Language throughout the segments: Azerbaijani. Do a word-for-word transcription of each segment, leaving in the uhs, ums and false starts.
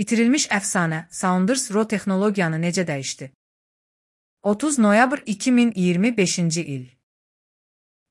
İtirilmiş əfsanə Saunders Roe texnologiyanı necə dəyişdi? otuz noyabr iki min iyirmi beşinci il.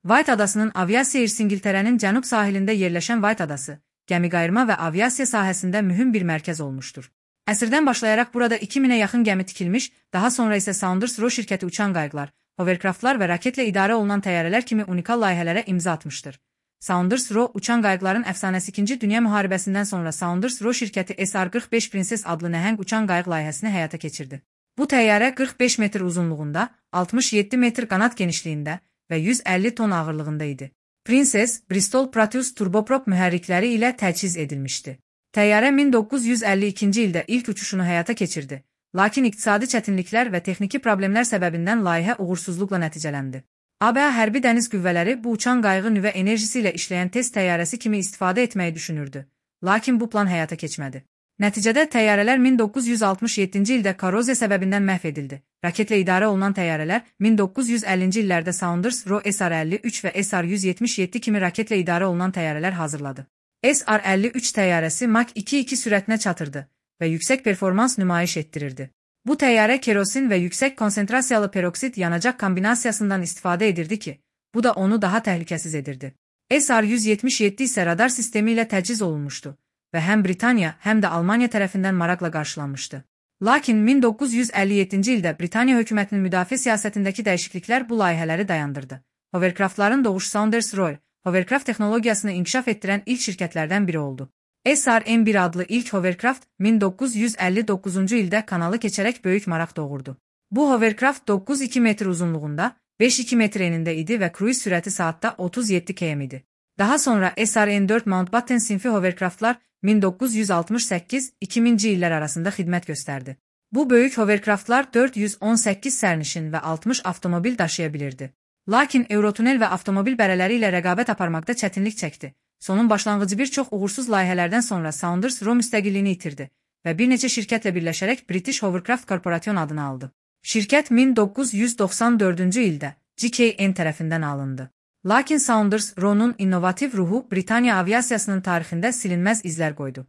White adasının aviasiya irsi İngiltərənin cənub sahilində yerləşən White adası, gəmiqayırma və aviasiya sahəsində mühüm bir mərkəz olmuşdur. Əsrdən başlayaraq burada iki minə yaxın gəmi tikilmiş, daha sonra isə Saunders Roe şirkəti uçan qayıqlar, hovercraftlar və raketlə idarə olunan təyyarələr kimi unikal layihələrə imza atmışdır. Saunders Roe uçan qayıqların əfsanəsi İkinci Dünya müharibəsindən sonra Saunders Roe şirkəti S R qırx beş Princess adlı nəhəng uçan qayıq layihəsini həyata keçirdi. Bu təyyarə qırx beş metr uzunluğunda, altmış yeddi metr qanat genişliyində və yüz əlli ton ağırlığında idi. Princess, Bristol Proteus turboprop mühərrikləri ilə təchiz edilmişdi. Təyyarə min doqquz yüz əlli ikinci ildə ilk uçuşunu həyata keçirdi, lakin iqtisadi çətinliklər və texniki problemlər səbəbindən layihə uğursuzluqla nəticələndi. A B A hərbi dəniz qüvvələri bu uçan qayığı nüvə enerjisi ilə işləyən test təyyarəsi kimi istifadə etməyi düşünürdü, lakin bu plan həyata keçmədi. Nəticədə təyyarələr min doqquz yüz altmış yeddinci ildə korroziya səbəbindən məhv edildi. Raketlə idarə olunan təyyarələr min doqquz yüz əllinci illərdə Saunders Roe S R əlli üç və S R yüz yetmiş yeddi kimi raketlə idarə olunan təyyarələr hazırladı. S R əlli üç təyyarəsi Mach iki iki sürətinə çatırdı və yüksək performans nümayiş etdirirdi. Bu təyyarə kerosin və yüksək konsentrasiyalı peroksit yanacaq kombinasiyasından istifadə edirdi ki, bu da onu daha təhlükəsiz edirdi. S R yüz yetmiş yeddi isə radar sistemi ilə təchiz olunmuşdu və həm Britaniya, həm də Almaniya tərəfindən maraqla qarşılanmışdı. Lakin min doqquz yüz əlli yeddinci ildə Britaniya hökumətinin müdafiə siyasətindəki dəyişikliklər bu layihələri dayandırdı. Hovercraftların doğuşu Saunders Roe, hovercraft texnologiyasını inkişaf etdirən ilk şirkətlərdən biri oldu. S R M bir adlı ilk hovercraft min doqquz yüz əlli doqquzuncu ildə kanalı keçərək böyük maraq doğurdu. Bu hovercraft doqquz iki metr uzunluğunda, beş iki metr enində idi və kruiz sürəti saatda otuz yeddi kilometr idi. Daha sonra S R M dörd Mountbatten sinfi hovercraftlar min doqquz yüz altmış səkkiz iki minci illər arasında xidmət göstərdi. Bu böyük hovercraftlar dörd yüz on səkkiz sərnişin və altmış avtomobil daşıya bilirdi. Lakin Eurotunel və avtomobil bərələri ilə rəqabət aparmaqda çətinlik çəkdi. Sonun başlanğıcı bir çox uğursuz layihələrdən sonra Saunders Roe müstəqilliyini itirdi və bir neçə şirkətlə birləşərək British Hovercraft Corporation adını aldı. Şirkət min doqquz yüz doxsan dördüncü ildə G K N tərəfindən alındı. Lakin Saunders Roe'nun innovativ ruhu Britaniya aviasiyasının tarixində silinməz izlər qoydu.